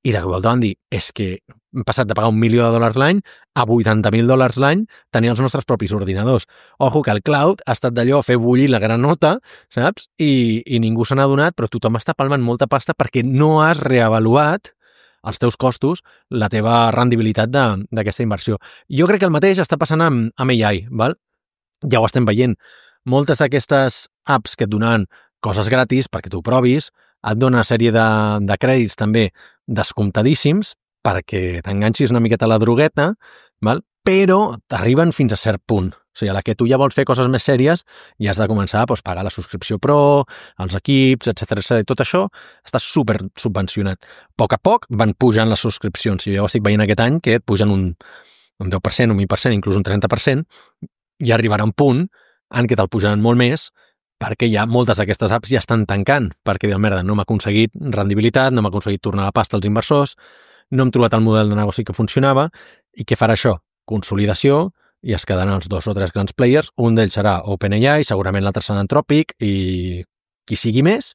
i de volta van dir, és que hem passat de pagar $1 milió l'any a $80,000 l'any tenir els nostres propis ordinadors. Ojo, que el cloud ha estat d'allò a fer bullir la granota, saps? I ningú se n'ha adonat, però tothom està palmant molta pasta perquè no has reavaluat els teus costos, la teva rendibilitat d'aquesta inversió. Jo crec que el mateix està passant amb AI, val? Ja ho estem veient. Moltes d'aquestes apps que et donaven coses gratis perquè tu ho provis, et dona una sèrie de crèdits també descomptadíssims perquè t'enganxis una miqueta a la drogueta, val? Però t'arriben fins a cert punt. O sigui, a la que tu ja vols fer coses més sèries, ja has de començar a pagar la subscripció Pro, els equips, etc. Tot això està super subvencionat. A poc van pujant les subscripcions. Jo ja ho estic veient aquest any, que et pugen un 10%, un 20%, inclús un 30%, i arribarà un punt en què te'l pujaran molt més, perquè ja moltes d'aquestes apps ja estan tancant, perquè diuen, merda, no m'ha aconseguit rendibilitat, no m'ha aconseguit tornar la pasta als inversors, no hem trobat el model de negoci que funcionava, i què farà això? Consolidació, i es quedaran els 2 o 3 grans players, un d'ells serà OpenAI, segurament l'altre serà Anthropic, i qui sigui més,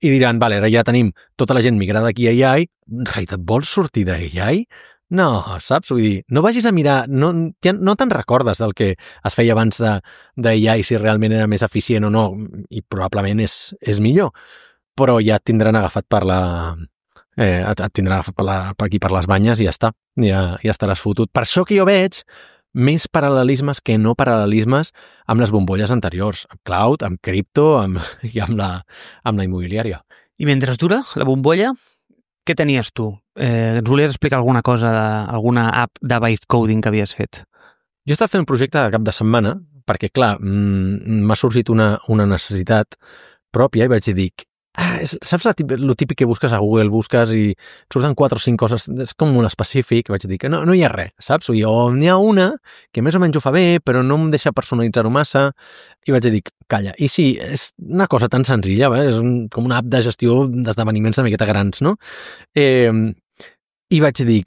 i diran, vale, ara ja tenim tota la gent migrada aquí a AI, en realitat vols sortir d'AI? No, saps? Vull dir, no vagis a mirar, no te'n recordes del que es feia abans d'AI, si realment era més eficient o no, i probablement és millor, però ja et tindran agafat per et tindrà per aquí per les banyes i ja està, ja estaràs fotut. Per això que jo veig més paral·lelismes que no paral·lelismes amb les bombolles anteriors, amb cloud, amb cripto i amb la immobiliària. I mentre dura la bombolla, què tenies tu? Ens volies explicar alguna cosa, alguna app de vibe coding que havies fet? Jo he estat fent un projecte de cap de setmana perquè, clar, m'ha sorgit una necessitat pròpia i vaig dir, saps lo típic que busques a Google, busques i surten 4 o 5 coses, és com un específic, vaig dir que no hi ha res, saps? O n'hi ha una que més o menys ho fa bé, però no em deixa personalitzar-ho massa, i vaig dir, calla, i sí, és una cosa tan senzilla, és com una app de gestió d'esdeveniments una miqueta grans, no? I vaig dir,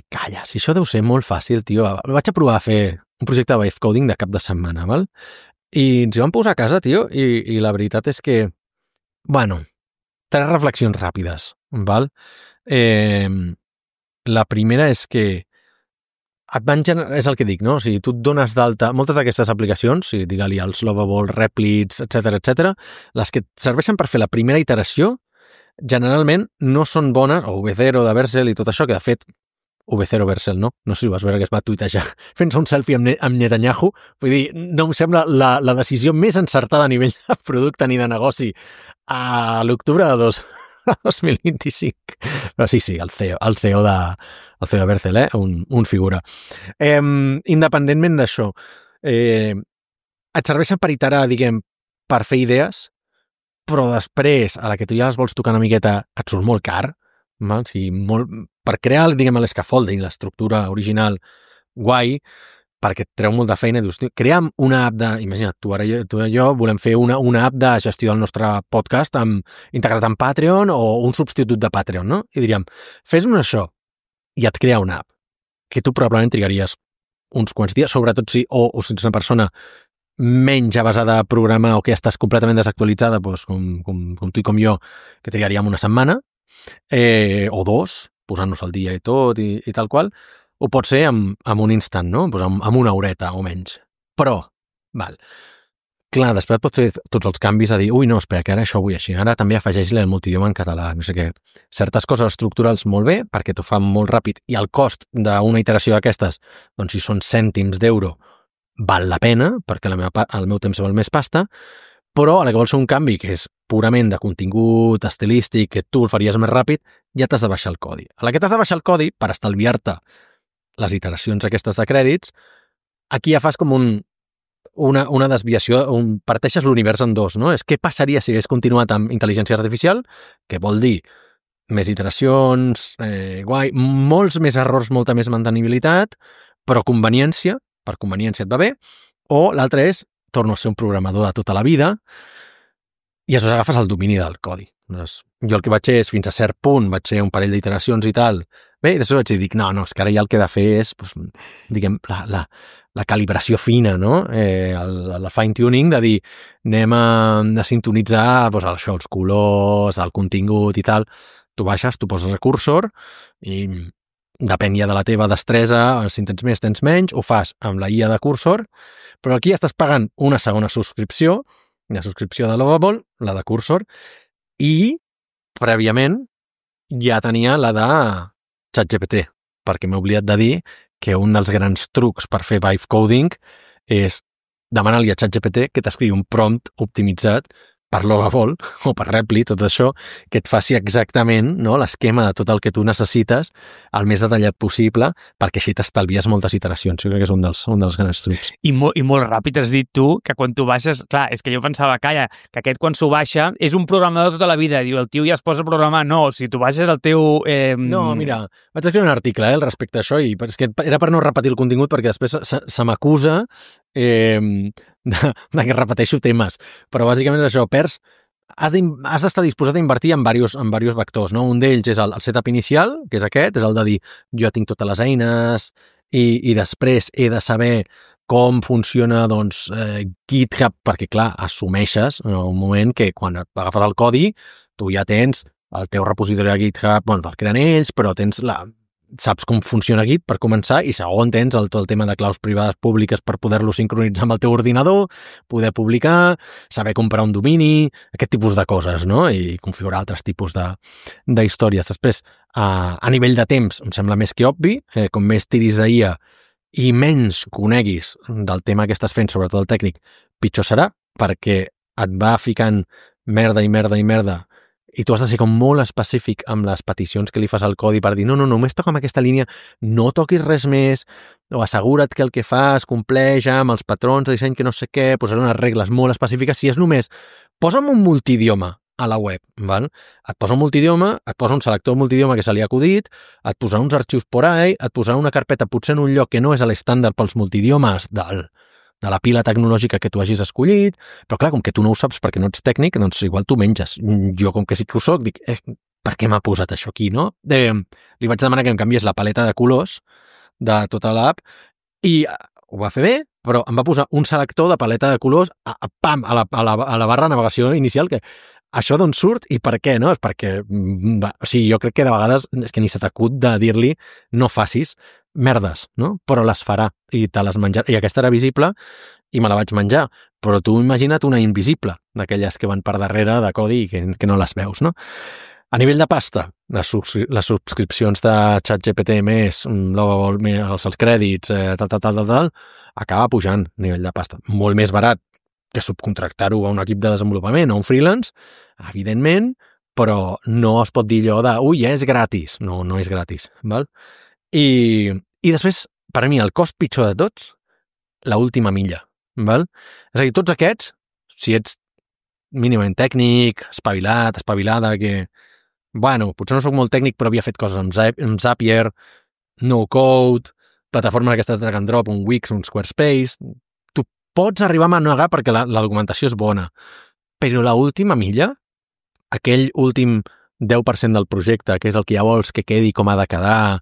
calla, si això deu ser molt fàcil, tio, vaig a provar a fer un projecte de vibe coding de cap de setmana, val? I ens hi vam posar a casa, tio, i la veritat és que, bueno, 3 reflexions ràpides, val? La primera és que és el que dic, no? O sigui, tu et dones d'alta moltes d'aquestes aplicacions, o sigui, digue-li els Lovable, Replits, etc., les que et serveixen per fer la primera iteració, generalment no són bones, o V0 de Vercel i tot això, que de fet V0 Vercel, no? No sé si vas veure que es va tuitejar fent-se un selfie amb Netanyahu. Vull dir, no em sembla la decisió més encertada a nivell de producte ni de negoci a l'octubre de 2025. Però sí, el CEO de Vercel, un figura. Independentment d'això, et serveixen per iterar, diguem, per fer idees, però després, a la que tu ja les vols tocar una miqueta, et surt molt car, val? O sigui, per crear, diguem, l'escaffolding, l'estructura original guai, perquè et treu molt de feina, dius, crea'm una app imagina't, tu i jo volem fer una app de gestió del nostre podcast integrat en Patreon o un substitut de Patreon, no? I diríem, fes-nos això, i et crea una app, que tu probablement trigaries uns quants dies, sobretot si ets una persona menys avesada a programar o que estàs completament desactualitzada, doncs, com tu i com jo, que trigaríem una setmana, o 2, posant-nos al dia i tot, i tal qual, o pot ser amb un instant, no? Pues amb una horeta o menys. Però, clar, després pots fer tots els canvis a dir, no, espera, que ara això ho vull així, ara també afegeix-li el multidioma en català, no sé què. Certes coses estructurals molt bé, perquè t'ho fan molt ràpid, i el cost d'una iteració d'aquestes, doncs si són cèntims d'euro, val la pena, perquè el meu temps val més pasta, però a la que vols fer un canvi que és purament de contingut estilístic, que tu el faries més ràpid, ja t'has de baixar el codi. A la que t'has de baixar el codi, per estalviar-te les iteracions aquestes de crèdits, aquí ja fas com una desviació, parteixes l'univers en dos, no? És què passaria si hagués continuat amb intel·ligència artificial, que vol dir més iteracions, guai, molts més errors, molta més mantenibilitat, però conveniència, per conveniència et va bé, o l'altre és torno a ser un programador de tota la vida, i aleshores agafes el domini del codi. Jo el que vaig fer és, fins a cert punt, vaig fer un parell d'iteracions i tal, Bé, i després vaig dir, no, és que ara ja el que he de fer és, doncs, diguem, la calibració fina, no? La fine-tuning de dir, anem a sintonitzar doncs, això, els colors, el contingut i tal. Tu baixes, tu poses el cursor i depèn ja de la teva destresa, si en tens més, tens menys, ho fas amb la IA de cursor, però aquí ja estàs pagant una segona subscripció, la subscripció de Lovable, la de cursor, i prèviament ja tenia la de ChatGPT, perquè m'he oblidat de dir que un dels grans trucs per fer vibe coding és demanar-li a ChatGPT que t'escriui un prompt optimitzat per Lovable o per Repli, tot això, que et faci exactament, no, l'esquema de tot el que tu necessites el més detallat possible, perquè així t'estalvies moltes iteracions. Jo crec que és un dels grans trucs. I molt ràpid has dit tu que quan tu baixes... Clar, és que jo pensava, calla, que aquest quan s'ho baixa és un programador tota la vida. Diu, el tio ja es posa a programar. No, si tu baixes el teu... No, mira, vaig escriure un article al respecte a això i és que era per no repetir el contingut perquè després se m'acusa de que repeteixo temes, però bàsicament és això, has d'estar disposat a invertir en diversos vectors, no? Un d'ells és el setup inicial, que és aquest, és el de dir, jo tinc totes les eines i després he de saber com funciona doncs, GitHub, perquè clar, assumeixes en un moment que quan agafes el codi tu ja tens el teu repositori de GitHub, bueno, te'l creen ells, però saps com funciona Git per començar i segon tens tot el tema de claus privades públiques per poder-lo sincronitzar amb el teu ordinador, poder publicar, saber comprar un domini, aquest tipus de coses, no? I configurar altres tipus d'històries. Després, a nivell de temps, em sembla més que obvi, com més tiris d'IA i menys coneguis del tema que estàs fent, sobretot el tècnic, pitjor serà, perquè et va ficant merda i tu has de ser com molt específic amb les peticions que li fas al codi per dir no, només toca amb aquesta línia, no toquis res més, o assegura't que el que fas compleix amb els patrons de disseny que no sé què, posar unes regles molt específiques. Si és només, posa'm un multidioma a la web, val? Et posa un multidioma, et posa un selector multidioma que se li ha acudit, et posarà uns arxius por ahí, et posarà una carpeta potser en un lloc que no és a l'estàndard pels multidiomes de la pila tecnològica que tu hagis escollit, però clar, com que tu no ho saps perquè no ets tècnic, doncs igual tu menges. Jo, com que sí que ho soc, dic, per què m'ha posat això aquí, no? Li vaig demanar que em canviés la paleta de colors de tota l'app i ho va fer bé, però em va posar un selector de paleta de colors a la barra de navegació inicial, que això d'on surt i per què, no? És perquè, o sigui, jo crec que de vegades és que ni se t'acut de dir-li no facis merdes, no? Però les farà i te les menjarà. I aquesta era visible i me la vaig menjar. Però tu imagina't una invisible, d'aquelles que van per darrere de codi i que no les veus, no? A nivell de pasta, les subscripcions de ChatGPT més, Lovable més els crèdits, tal, acaba pujant a nivell de pasta. Molt més barat que subcontractar-ho a un equip de desenvolupament o un freelance, evidentment, però no es pot dir allò de ja és gratis. No és gratis, val? I després, per a mi, el cost pitjor de tots, l'última milla, val? És a dir, tots aquests, si ets mínimament tècnic, espavilada, que, bueno, potser no soc molt tècnic, però havia fet coses amb Zapier, no-code, plataformes aquestes drag and drop, un Wix, un Squarespace, tu pots arribar a manegar perquè la documentació és bona, però l'última milla, aquell últim 10% del projecte, que és el que ja vols que quedi com ha de quedar,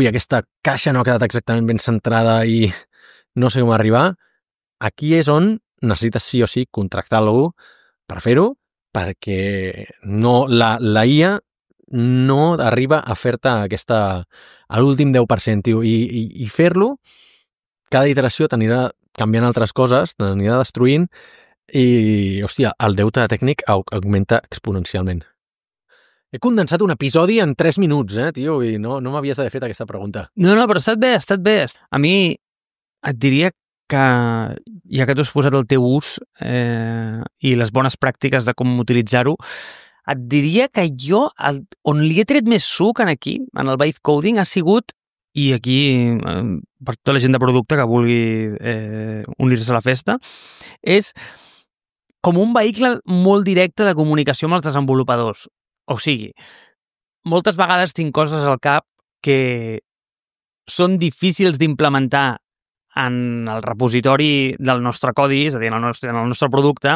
aquesta caixa no ha quedat exactament ben centrada i no sé com arribar, aquí és on necessites sí o sí contractar algú per fer-ho, perquè no, la IA no arriba a fer-te a l'últim 10%, tio, i fer-lo, cada iteració t'anirà canviant altres coses, t'anirà destruint i, hòstia, el deute tècnic augmenta exponencialment. He condensat un episodi en 3 minuts, tio, i no m'havies d'haver fet aquesta pregunta. No, però ha estat bé. A mi et diria que, ja que tu has posat el teu ús i les bones pràctiques de com utilitzar-ho, et diria que jo, on li he tret més suc aquí, en el vibe coding, ha sigut, i aquí, per tota la gent de producte que vulgui unir-se a la festa, és com un vehicle molt directe de comunicació amb els desenvolupadors. O sigui, moltes vegades tinc coses al cap que són difícils d'implementar en el repositori del nostre codi, és a dir, en el nostre producte,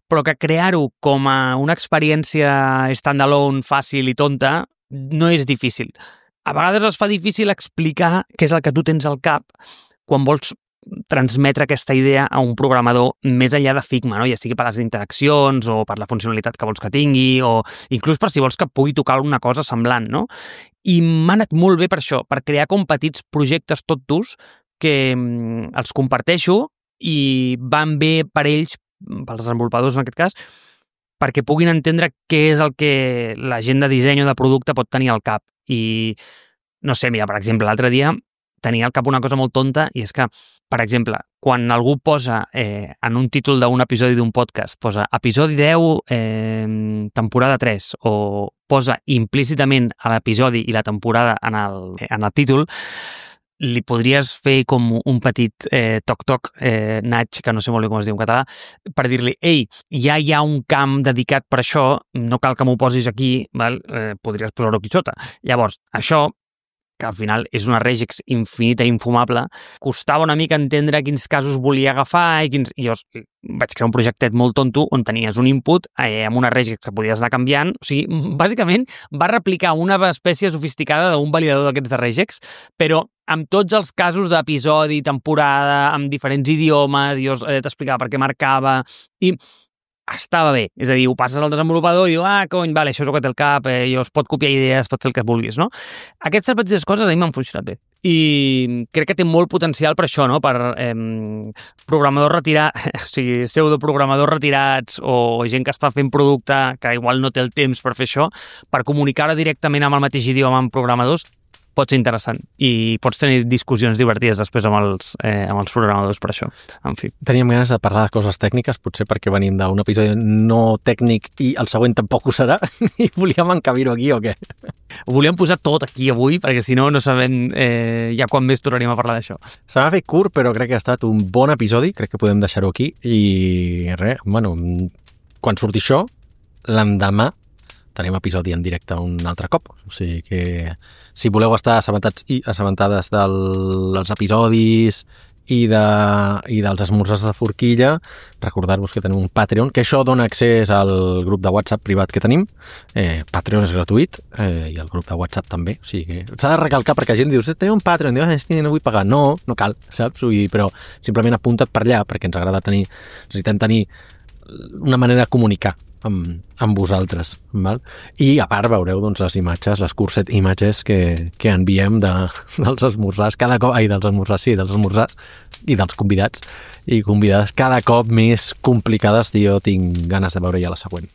però que crear-ho com a una experiència standalone, fàcil i tonta, no és difícil. a vegades es fa difícil explicar què és el que tu tens al cap quan vols transmetre aquesta idea a un programador més enllà de Figma, no? Ja sigui per les interaccions o per la funcionalitat que vols que tingui o inclús per si vols que pugui tocar alguna cosa semblant, no? I m'ha anat molt bé per això, per crear com petits projectes tot durs que els comparteixo i van bé per ells, pels desenvolupadors en aquest cas, perquè puguin entendre què és el que la gent de disseny o de producte pot tenir al cap. I, no sé, mira, per exemple, l'altre dia tenia al cap una cosa molt tonta i és que, per exemple, quan algú posa en un títol d'un episodi d'un podcast, posa episodi 10, temporada 3, o posa implícitament a l'episodi i la temporada en el títol, li podries fer com un petit toc-toc, nudge, que no sé molt bé com es diu en català, per dir-li, ei, ja hi ha un camp dedicat per això, no cal que m'ho posis aquí, val? Podries posar-ho aquí sota. Llavors, això, que al final és una regex infinita i infumable, costava una mica entendre quins casos volia agafar i jo vaig crear un projectet molt tonto on tenies un input amb una regex que podies anar canviant. O sigui, bàsicament va replicar una espècie sofisticada d'un validador d'aquests de regex, però amb tots els casos d'episodi, temporada, amb diferents idiomes, i jo t'explicava per què marcava, i estava bé. És a dir, ho passes al desenvolupador i diu, cony, vale, això és el que té el cap, es pot copiar idees, pot fer el que vulguis, no? Aquestes petites coses a mi m'han funcionat bé. I crec que té molt potencial per això, no? Per programadors retirats, o sigui, pseudoprogramadors retirats o gent que està fent producte que igual no té el temps per fer això, per comunicar directament amb el mateix idioma amb programadors, pot ser interessant i pots tenir discussions divertides després amb els programadors per això. En fi. Teníem ganes de parlar de coses tècniques, potser perquè venim d'un episodi no tècnic i el següent tampoc ho serà, i volíem encabir-ho aquí o què? Ho volíem posar tot aquí avui, perquè si no sabem ja quan més tornaríem a parlar d'això. Se m'ha fet curt, però crec que ha estat un bon episodi, crec que podem deixar-ho aquí, i res, bueno, quan surti això, l'endemà tenim episodi en directe un altre cop. O sigui que si voleu estar assabentats i assabentades dels episodis i dels esmorzars de forquilla, recordar-vos que tenim un Patreon, que això dona accés al grup de WhatsApp privat que tenim. Patreon és gratuït i el grup de WhatsApp també. O sigui que s'ha de recalcar perquè la gent diu, tenim un Patreon, diu, no vull pagar. No cal, saps? Però simplement apunta't per allà perquè ens agrada necessitem tenir una manera de comunicar amb vosaltres, val? I a part veureu doncs, les imatges, les curset imatges que enviem dels esmorzars cada cop, dels esmorzars i dels convidats i convidades cada cop més complicades, i jo tinc ganes de veure ja la següent.